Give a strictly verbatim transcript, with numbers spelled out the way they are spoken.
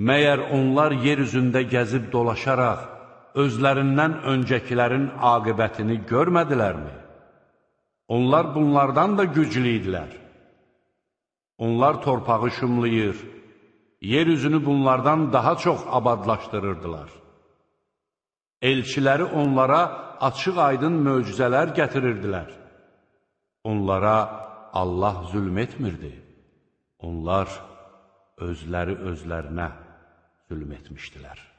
Məyər onlar yer üzündə gəzib dolaşaraq, özlərindən öncəkilərin aqibətini görmədilərmi? Onlar bunlardan da güclü idilər. Onlar torpağı şumlayır, yer üzünü bunlardan daha çox abadlaşdırırdılar. Elçiləri onlara açıq-aydın möcüzələr gətirirdilər. Onlara Allah zülm etmirdi. Onlar özləri özlərinə zülm etmişdilər.